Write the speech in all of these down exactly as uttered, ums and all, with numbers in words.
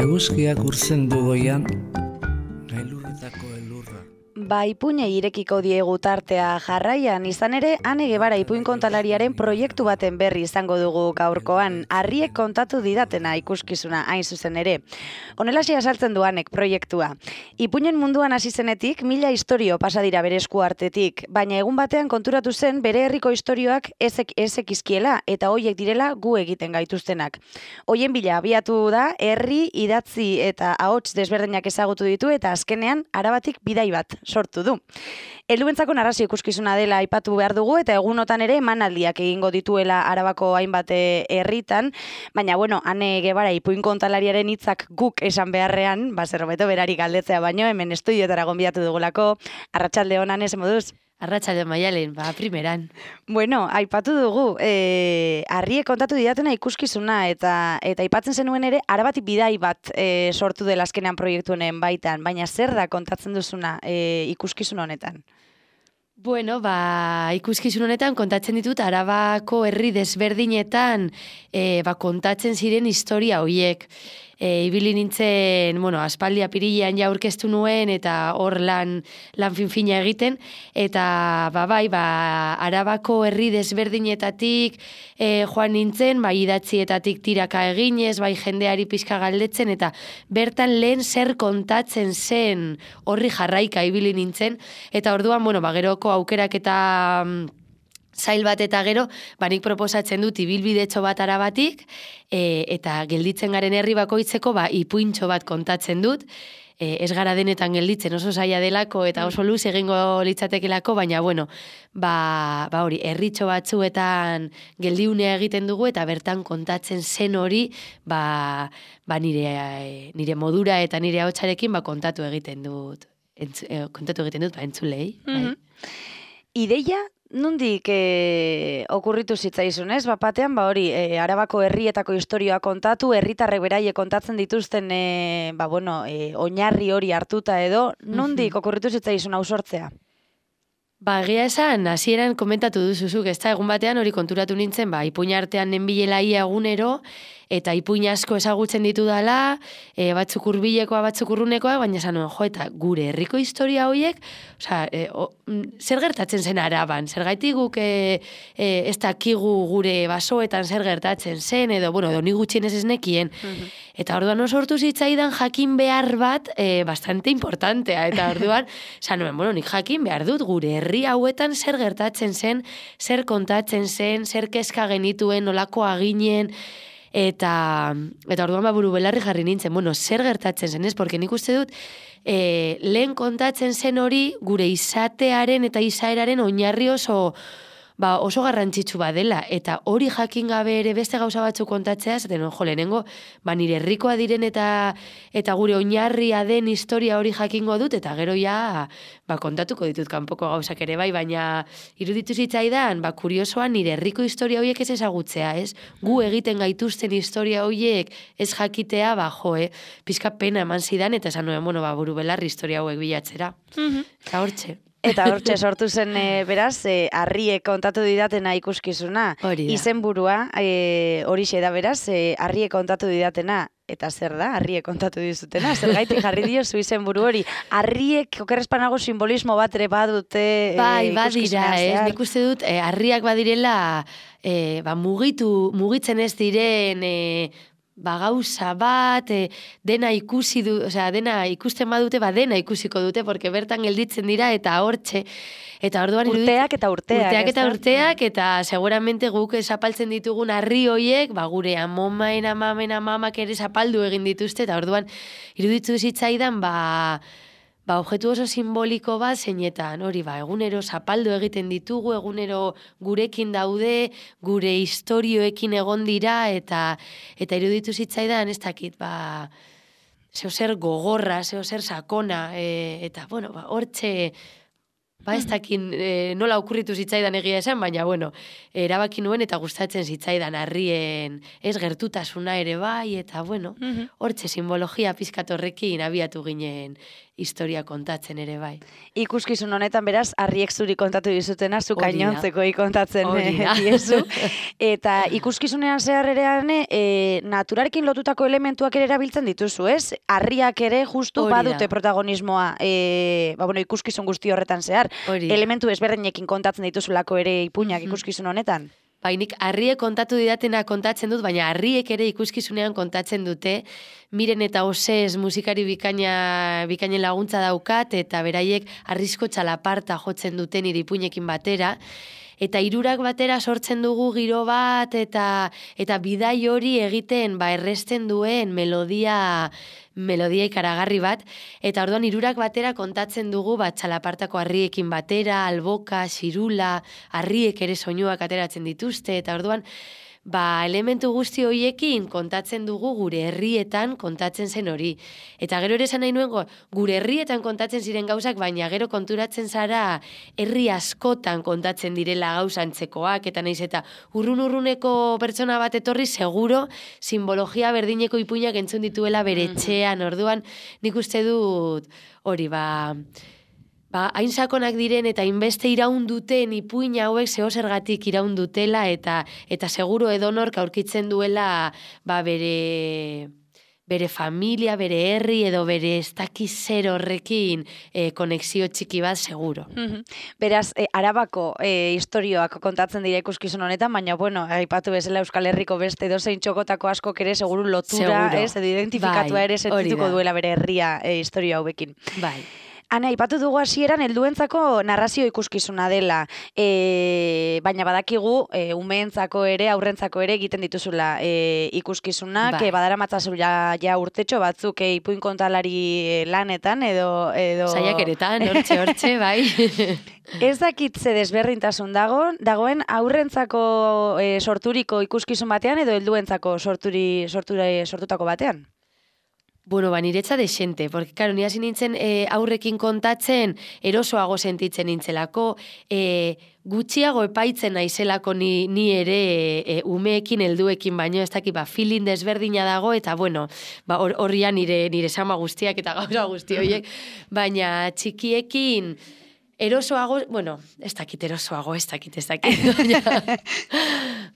Eguzkiak urtzen du goian, gailurretako elurra. Ba, ipuine irekiko diegu tartea jarraian, izan ere, Ane Gebara ipuin kontalariaren proiektu baten berri izango dugu gaurkoan, Harriek kontatu didatena ikuskizuna hain zuzen ere. Honelaxe azaltzen du Anek proiektua. Ipuinen munduan hasi zenetik, mila istorio pasa dira bere esku artetik, baina egun batean konturatu zen bere herriko istorioak ezek ezekizkiela eta hoiek direla gu egiten gaituztenak. Hoien bila abiatu da, herri, idatzi eta ahots desberdinak ezagutu ditu eta azkenean arabatik bidai bat sortu du. Helduentzako narrazio ikuskizuna dela aipatu behar dugu eta egunotan ere emanaldiak egingo dituela Arabako hainbat herritan, baina bueno, Ane Gebara ipuin kontalariaren hitzak guk esan beharrean, ba zerbeto berari galdetzea baino, hemen estudioetara gonbidatu dugulako. Arratsalde on, Ane, ze moduz? Arratsalde Maialen, ba, primeran. Bueno, aipatu dugu, e, Harriek kontatu didatena ikuskizuna eta eta aipatzen zenuen ere Arabatik bidai bat e, sortu dela azkenean proiektu honen baitan, baina zer da kontatzen duzuna e, ikuskizun honetan? Bueno, ba, ikuskizun honetan kontatzen ditut Arabako herri desberdinetan e, ba, kontatzen ziren historia hoiek. E, ibili nintzen, bueno, aspaldi apirilean ja aurkeztu nuen eta hor lan, lan finfina egiten, eta ba, bai, ba, Arabako herri desberdinetatik e, joan nintzen, bai, idatzietatik tiraka eginez, bai, jendeari pixka galdetzen, eta bertan lehen zer kontatzen zen horri jarraika ibili nintzen, eta orduan, bueno, ba, geroko aukerak eta zail bat eta gero, banik proposatzen dut ibilbidetxo bat Arabatik, e, eta gelditzen garen herri bakoitzeko, ba, ipuintxo bat kontatzen dut, e, ez gara denetan gelditzen oso zaila delako, eta oso luz egingo litzatekelako, baina, bueno, ba, ba hori, herritxo batzuetan geldiunea egiten dugu, eta bertan kontatzen zen hori, ba, ba nire, nire modura eta nire ahotsarekin ba, kontatu egiten dut, entz, eh, kontatu egiten dut, ba, entzulei. Mm-hmm. Bai. Ideia, nondik e, okurritu zitzaizun, ez? Bapatean, ba hori, e, Arabako herrietako historioa kontatu, herritarrek beraie kontatzen dituzten, e, ba bueno, e, oinarri hori hartuta edo, nondik okurritu zitzaizun hau sortzea? Ba, egia esan, hasieran komentatu duzuzuk, ez da, egun batean hori konturatu nintzen, ba, ipuin artean nenbilela ia egunero, eta ipuin asko ezagutzen ditu dala, e, batzuk hurbilekoa, batzuk urrunekoa, baina esan nuen, jo, eta gure herriko historia horiek, osea, e, o, zer gertatzen zen Araban, zer gaitik guk e, e, ez dakigu gure basoetan zer gertatzen zen, edo, bueno, edo ni gutxienez ez nekien, uh-huh. Eta orduan sortu zitzaidan jakin behar bat e, bastante importantea, eta orduan, esan nuen, bueno, nik jakin behar dut gure herri hauetan zer gertatzen zen, zer kontatzen zen, zer kezka genituen, nolakoa ginen, eta eta orduan ba buru belarri jarri nintzen, bueno, zer gertatzen zen, ez? Porque nik uste dut, e, lehen kontatzen zen hori gure izatearen eta izaeraren oinarri oso, ba, oso garrantzitsu badela, eta hori jakin gabe ere beste gauza batzuk kontatzea, zaten, jo, lehenengo, ba, nire herrikoa diren eta eta gure oinarria den historia hori jakingo dut, eta gero ja, ba, kontatuko ditut kanpoko gauzak ere bai, baina iruditu zitzaidan, ba, kuriosoa nire herriko historia horiek ez ezagutzea, ez? Gu egiten gaituzten historia horiek ez jakitea, ba, jo, eh? Pizka pena eman zidan, eta esan nuen, bueno, ba, buru belarri historia hauek bilatzera. Mm-hmm. Eta hortxe. Eta hortxe sortu zen, e, beraz, e, Harriek kontatu didatena ikuskizuna. Hori da. Izenburua, e, horixe da beraz, e, Harriek kontatu didatena. Eta zer da, Harriek kontatu dizutena? Zer gaitik jarri diozu izenburu hori? Harriek okerrezpanago simbolismo bat ere badute e, bai, badira, ez? Nik uste dut, e, harriak badirela, e, ba, mugitu, mugitzen ez diren, e, ba, gauza bat, e, dena ikusi du, osea, dena ikusten badute, ba, dena ikusiko dute, porque bertan gelditzen dira, eta hortxe, eta orduan urteak eta urteak, urteak eta urteak, eta seguramente guk zapaltzen ditugun harri hoiek, ba, gure amomaen, amamen, amamak ere zapaldu egin dituzte, eta orduan iruditu zitzaidan, ba, ba, objektu oso simboliko bat zeinetan, hori ba, egunero zapaldu egiten ditugu, egunero gurekin daude, gure historioekin egon dira, eta eta iruditu zitzaidan, ez dakit, ba, zeo zer gogorra, zeo zer sakona, e, eta, bueno, ba, hortxe, ba, ez dakin e, nola okurritu zitzaidan egia esan, baina, bueno, erabaki nuen eta gustatzen zitzaidan harrien, ez gertutasuna ere bai, eta, bueno, hortxe simbologia pizkat horrekin abiatu ginen historia kontatzen ere bai. Ikuskizun honetan beraz, harriek zuri kontatu dizutena, zu Hori da. gainontzeko kontatzen Hori eh, da. diezu. Eta ikuskizunean zehar erean, e, naturarekin lotutako elementuak ere erabiltzen dituzu, ez? Harriak ere justu Hori da. badute protagonismoa, e, ba, bueno, ikuskizun guzti horretan zehar. Hori da. Elementu ezberdinekin kontatzen dituzulako ere ipuinak ikuskizun honetan. Bainik harriek kontatu didatena kontatzen dut, baina harriek ere ikuskizunean kontatzen dute, Miren eta Osez musikari bikaina, bikainen laguntza daukat, eta beraiek harrizko txalaparta jotzen duten nire ipuinekin batera, eta hirurak batera sortzen dugu giro bat, eta eta bidai hori egiten ba erresten duen melodia melodia ikaragarri bat, eta orduan hirurak batera kontatzen dugu ba txalapartako harriekin batera, alboka, xirula, harriek ere soinuak ateratzen dituzte, eta orduan ba, elementu guzti horiekin kontatzen dugu gure herrietan kontatzen zen hori. Eta gero ere esan nahi nuen, gure herrietan kontatzen ziren gauzak, baina gero konturatzen zara herri askotan kontatzen direla gauzantzekoak, eta naiz eta urrun-urruneko pertsona bat etorri, seguro simbologia berdineko ipuinak entzun dituela bere etxean, orduan nik uste dut hori ba... Ba, hain sakonak diren eta inbeste iraun duten ipuin hauek zeo zergatik iraun dutela eta eta seguro edonork aurkitzen duela ba, bere, bere familia, bere herri edo bere ez dakiz zer horrekin e, konexio txiki bat seguro. Beraz, e, Arabako e, historioak kontatzen dira ikuskizun honetan, baina, bueno, aipatu bezala Euskal Herriko beste edozein txokotako askok ere seguru lotura, seguro. ez, edo identifikatua bai, ere sentituko duela bere herria e, historia hauekin. Bai. Ana, aipatu dugu hasieran helduentzako narrazio ikuskizuna dela, e, baina badakigu e, umeentzako ere, aurrentzako ere egiten dituzula e, ikuskizunak, bai. e, badaramatzazuela ja urtetxo batzuk e, ipuin kontalari lanetan edo... edo... Saiakeretan, hortxe, hortxe, bai. Ez dakit ze desberdintasun dago, dagoen aurrentzako e, sorturiko ikuskizun batean edo helduentzako sorturi, sortura, sortutako batean? Bueno, ba, niretza desente, porque, claro, ni hasi nintzen e, aurrekin kontatzen, erosoago sentitzen nintzelako, e, gutxiago epaitzen naizelako ni, ni ere e, umeekin helduekin baino, ez dakit, ba, feeling desberdina dago, eta, bueno, ba, horrian nire, nire sama guztiak eta gauza guzti horiek, baina txikiekin... Erosoago, bueno, ez dakit erosoago, ez dakit, ez dakit, baina,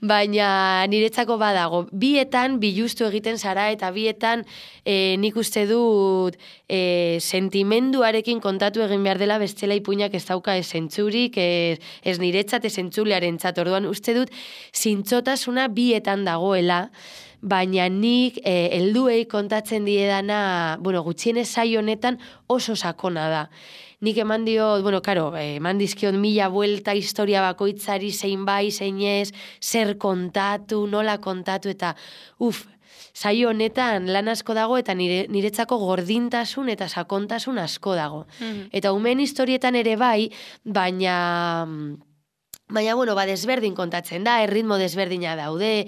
baina niretzako badago. Bietan bilustu egiten zara eta bietan e, nik uste dut e, sentimenduarekin kontatu egin behar dela bestela ipuinak ez dauka esentzurik, ez, ez niretzat esentzulearen txat. Orduan uste dut zintzotasuna bietan dagoela, baina nik e, helduei kontatzen diedana, bueno, gutxienez saio honetan oso sakona da. Nik eman dio, bueno, karo, eman dizkion mila buelta historia bakoitzari zein bai, zein ez, zer kontatu, nola kontatu, eta uf, saio honetan lan asko dago eta nire, niretzako gordintasun eta sakontasun asko dago. Mm-hmm. Eta umeen historietan ere bai, baina, baina, bueno, ba, desberdin kontatzen da, erritmo desberdina daude,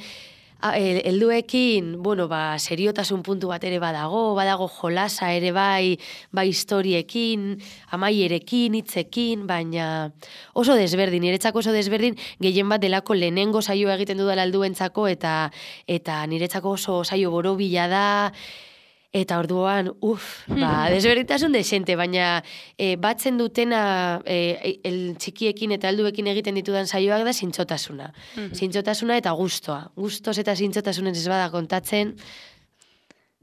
helduekin, bueno, ba, seriotasun puntu bat ere badago, badago jolasa ere bai, bai historiekin, amaierekin, hitzekin, baina oso desberdin, niretzako oso desberdin, gehien bat delako lehenengo saioa egiten dudala helduentzako eta eta niretzako oso saio borobila da, eta orduan, uf, ba, desberdintasun desente, baina e, batzen dutena e, el txikiekin eta helduekin egiten ditudan saioak da zintzotasuna. Zintzotasuna eta gustoa. Gustos eta zintzotasunez ez bada kontatzen,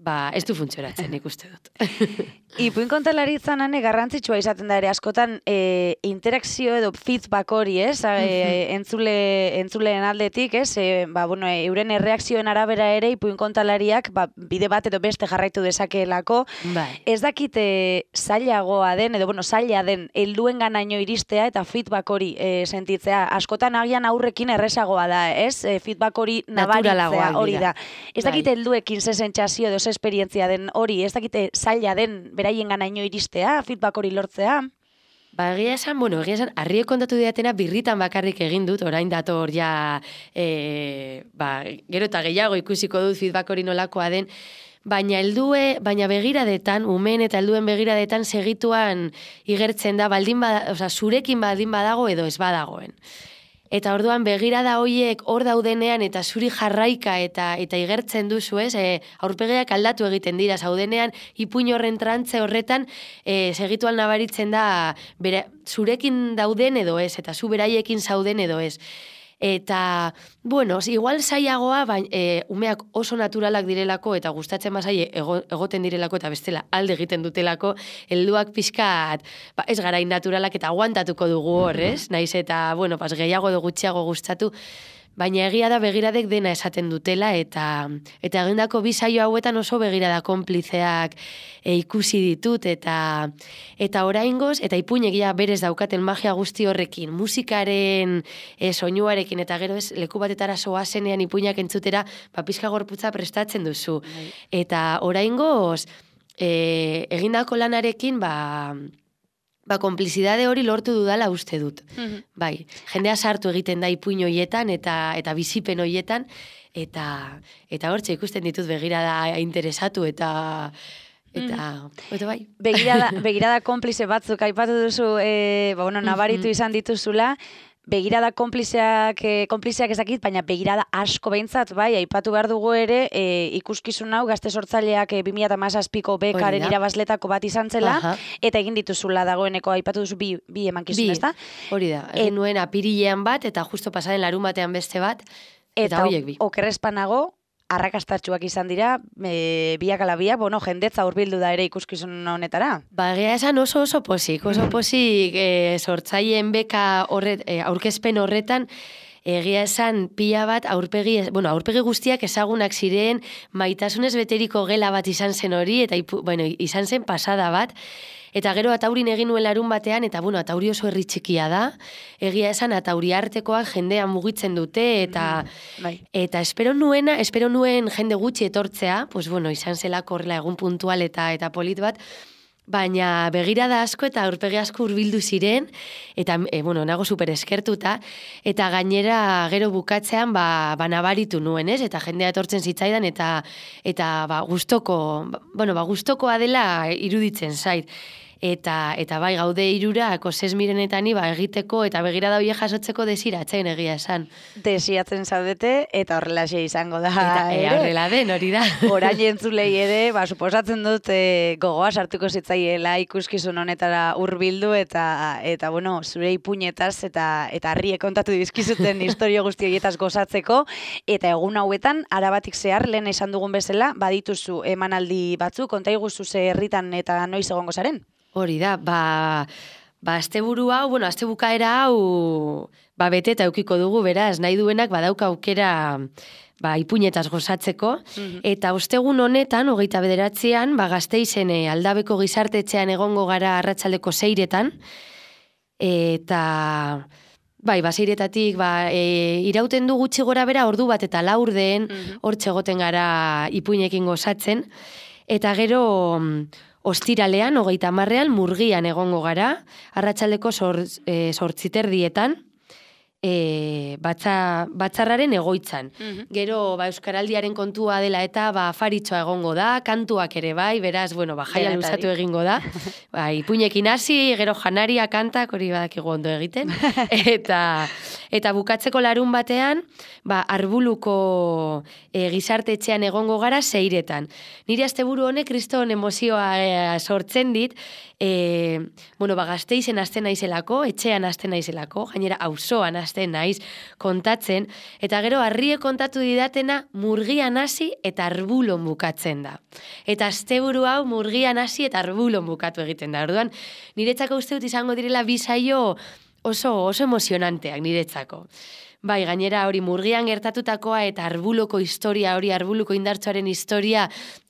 ba, ez du funtzionatzen, nik uste dut. Ipuin kontalaritzan ane garrantzitsua izaten da ere askotan e, interakzio edo feedback hori, ez? E, entzule, entzuleen aldetik, ez? E, ba, bueno, e, euren erreakzioen arabera ere ipuin kontalariak ba, bide bat edo beste jarraitu dezakeelako. Bai. Ez dakite zailagoa den, edo bueno, zaila den helduen ganaino iristea eta feedback hori e, sentitzea. Askotan agian aurrekin erresagoa da, ez? E, feedback hori nabaritzea hori da. Ez dakite helduekin ze sentsazio edo ze esperientzia den hori, ez dakite zaila den beraien ganaino iristea, feedback hori lortzea. Ba, egia esan, bueno, egia esan, harriek kontatu diatena birritan bakarrik egin dut, orain dator ja, e, ba, gero eta gehiago ikusiko dut feedback hori nolakoa den, baina heldue, baina begiradetan, umen eta helduen begiradetan segituan igertzen da, baldin bada, osea, zurekin baldin badago edo ez badagoen. Eta orduan begirada hoiek hor daudenean eta zuri jarraika eta eta igertzen duzu, ez? E, aurpegiak aldatu egiten dira zaudenean, ipuin horren trantze horretan e, segituan nabaritzen da bere, zurekin dauden edo ez, eta zu beraiekin zauden edo ez. Eta, bueno, igual zailagoa, baina e, umeak oso naturalak direlako eta gustatzen bazai ego, egoten direlako eta bestela alde egiten dutelako, helduak pixkat, ba, ez garain naturalak eta aguantatuko dugu hor, ez? Naiz eta, bueno, pas, gehiago edo gutxiago gustatu, baina egia da begiradek dena esaten dutela eta eta egindako bi saio hauetan oso begirada konplizeak e, ikusi ditut eta eta oraingoz eta ipuinegia berez daukaten magia guzti horrekin, musikaren e, soinuarekin eta gero ez leku batetara soazenean ipuinak entzutera, ba pizka gorputza prestatzen duzu. Bai. Eta oraingoz e, egindako lanarekin ba Ba, konplizidade hori lortu dudala uste dut. Mm-hmm. Bai, jendea sartu egiten da ipuin hoietan eta eta bizipen hoietan eta eta hortxe ikusten ditut begirada interesatu eta eta mm. eta bai. Begirada begirada konplize batzuk aipatu duzu, eh, ba bueno, nabaritu izan dituzula. Begirada konplizeak, eh, konplizeak ezakit, baina begirada asko behintzat, bai, aipatu behar dugu ere, eh, ikuskizun hau gazte sortzaileak eh, bi mila hamazazpiko bekaren irabazletako bat izan zela, aha, eta egin dituzula dagoeneko aipatu duzu bi, bi emankizun, ezta? Hori da, egin e, nuen apirilean bat, eta justo pasaren larun batean beste bat, eta horiek bi. Okerrezpanago, arrakastatxuak izan dira, e, biak ala biak, bueno, jendetza hurbildu da ere ikuskizun honetara. Ba, egia esan oso oso posik, oso posik e, sortzaileen beka horret, e, aurkezpen horretan, egia esan pila bat aurpegi, bueno, aurpegi guztiak ezagunak ziren, maitasunez beteriko gela bat izan zen hori, eta ipu, bueno, izan zen pasada bat, eta gero ataurin egin nuen larun batean, eta bueno, atauri oso herri txikia da, egia esan atauri artekoak jendean mugitzen dute, eta mm, bai. eta espero nuena, espero nuen jende gutxi etortzea, pues bueno, izan zelako horrela egun puntual eta eta polit bat, baina begirada asko eta aurpegi asko hurbildu ziren, eta, e, bueno, nago super eskertuta, eta gainera gero bukatzean, ba, ba nabaritu nuen, ez? Eta jendea etortzen zitzaidan, eta, eta ba, gustoko, bueno, ba, gustokoa dela iruditzen zait. Eta, eta bai, gaude irurak, osez mirenetani, ba, egiteko eta begirada horiek jasotzeko desiratzen egia esan. Desiatzen zaudete, eta horrelaxe izango da. Eta e, horrela den, hori da. Orain entzulei ere, ba, suposatzen dut e, gogoa sartuko zitzaiela ikuskizun honetara hurbildu eta, eta bueno, zure ipuñetaz eta eta harriek kontatu dizkizuten historio guzti horietaz gozatzeko, eta egun hauetan, arabatik zehar, lehen esan dugun bezala, badituzu emanaldi batzuk, konta iguzu ze herritan eta noiz egongo zaren? Hori da, ba, ba asteburu hau, bueno, astebukaera hau, ba bete eta eukiko dugu, beraz, nahi duenak badauka aukera ba, ipuñetaz gozatzeko, mm-hmm. eta ostegun honetan, hogeita bederatzean, ba Gasteizen e, Aldabeko gizartetxean egongo gara arratsaldeko seiretan, eta bai, ba seiretatik, ba, e, irauten du gutxi gora bera ordu bat eta laurden, mm-hmm. hortxe egoten gara ipuinekin gozatzen, eta gero ostiralean, hogeita hamarrean, Murgian egongo gara, arratsaldeko zortziterdietan, e, batza, batzarraren egoitzan. Mm-hmm. Gero, ba, Euskaraldiaren kontua dela eta ba, afaritxoa egongo da, kantuak ere bai, beraz, bueno, ba, jaia luzatu egingo da. Ba, ipuinekin hasi, gero janaria, kantak, hori badakigu ondo egiten. Eta, eta bukatzeko larun batean, ba, Arbuluko e, gizartetxean egongo gara seiretan. Nire asteburu honek kriston emozioa e, sortzen dit, e, bueno, ba, Gasteizen hasten naizelako, etxean hasten naizelako, gainera auzoan hasten naiz kontatzen, eta gero harrie kontatu didatena Murgian hasi eta Arbulon bukatzen da. Eta asteburu hau Murgian hasi eta Arbulon bukatu egiten da. Orduan, niretzako uste dut izango direla bi saio oso, oso emozionanteak niretzako. Bai, gainera hori Murgian gertatutakoa eta Arbuloko historia, hori Arbuluko indartsuaren historia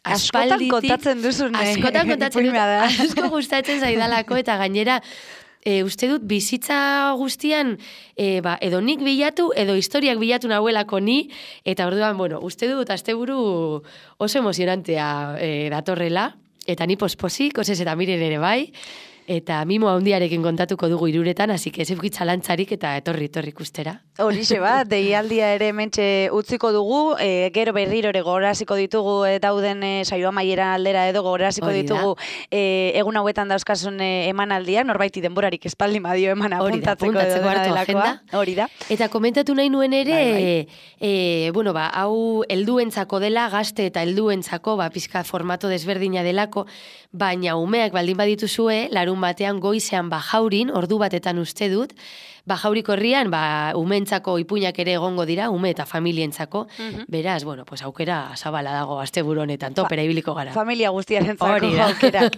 aspalditik. Askotan kontatzen duzun. Askotan kontatzen dut, asko gustatzen zaidalako, eta gainera E, uste dut bizitza guztian e, ba, edo nik bilatu, edo historiak bilatu nahuelako ni, eta orduan, bueno, uste dut asteburu oso emozionantea e, datorrela, eta ni posposik, osez eta miren ere bai, Eta mimo handiarekin kontatuko dugu iruretan, hasi que ez eukitza lantzarik eta etorri etorri ikustera. Horixe bat, deialdia ere mentxe utziko dugu, e, gero berriro ere gogoraziko ditugu e, dauden e, saioa maiera aldera edo gogoraziko ditugu e, egun hauetan dauzkasun e, emanaldiak, norbaiti denborarik espaldi madio eman apuntatzeko edo dena delakoa. Hori da. Eta komentatu nahi nuen ere, bai, bai. E, bueno, ba, hau helduentzako dela, gazte eta helduentzako, ba, pizka formato desberdina delako, baina umeak baldin badituzue, larun batean goizean bajaurin, ordu batetan uste dut, bajauriko herrian, ba, umentzako ipuinak ere egongo dira, ume eta familientzako, uh-huh. Beraz, bueno, pues aukera zabala dago asteburu honetan, topera ibiliko gara. Familia guztiarentzako aukerak.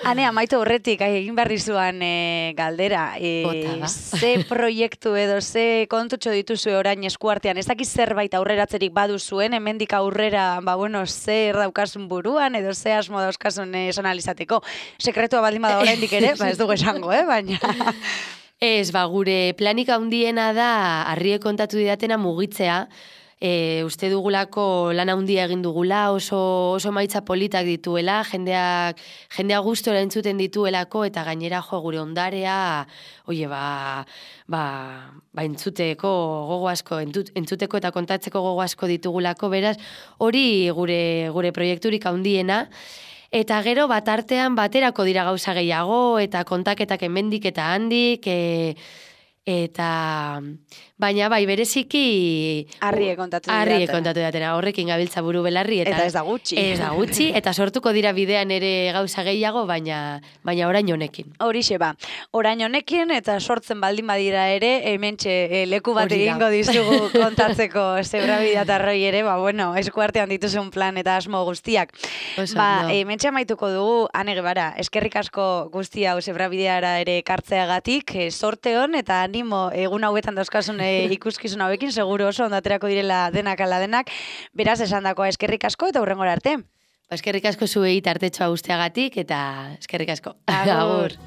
Ane, amaitu horretik, egin berri zuan e, galdera, e, ze proiektu edo, ze kontutxo dituzue orain eskuartean, ez dakiz zerbait aurreratzerik badu zuen, hemendik aurrera, ba, bueno, zer daukasun buruan, edo ze asmo dauzkasun esan alizateko. Sekretua baldin bada oraindik ere, ba, ez dugu esango, eh, baina... Ez, ba, gure planik handiena da harriek kontatu didatena mugitzea, e, uste dugulako lan handia egin dugula, oso, oso maitza politak dituela, jendeak, jendea gustora entzuten dituelako, eta gainera jo gure ondarea, oie, ba, ba, ba entzuteko gogo asko, entzuteko eta kontatzeko gogo asko ditugulako, beraz, hori gure, gure proiekturik handiena. Eta gero bat artean baterako dira gauza gehiago, eta kontaketak hemendik eta handik, e, eta baina bai bereziki harrie kontatu didatena. Harrie kontatu didatena, horrekin gabiltza buru belarri. Eta, eta ez da gutxi. Ez da gutxi, eta sortuko dira bidean ere gauza gehiago, baina, baina orain honekin. Horixe ba, orain honekin, eta sortzen baldin badira ere, hementxe e, leku bat egingo dizugu kontatzeko zebrabidea eta roi ere, ba bueno, eskuartean dituzun plan eta asmo guztiak. Oso, ba, no. hementxe amaituko dugu, Ane Gebara, eskerrik asko guztia hau zebrabideara ere kartzeagatik, e, sorte hon, eta animo egun hauetan dauzkasun e, ikuskizun hauekin, seguro oso ondaterako direla denak ala denak, beraz esandakoa eskerrik asko eta hurrengora arte. Ba, eskerrik asko zuei tartetxoa usteagatik eta eskerrik asko. Agur.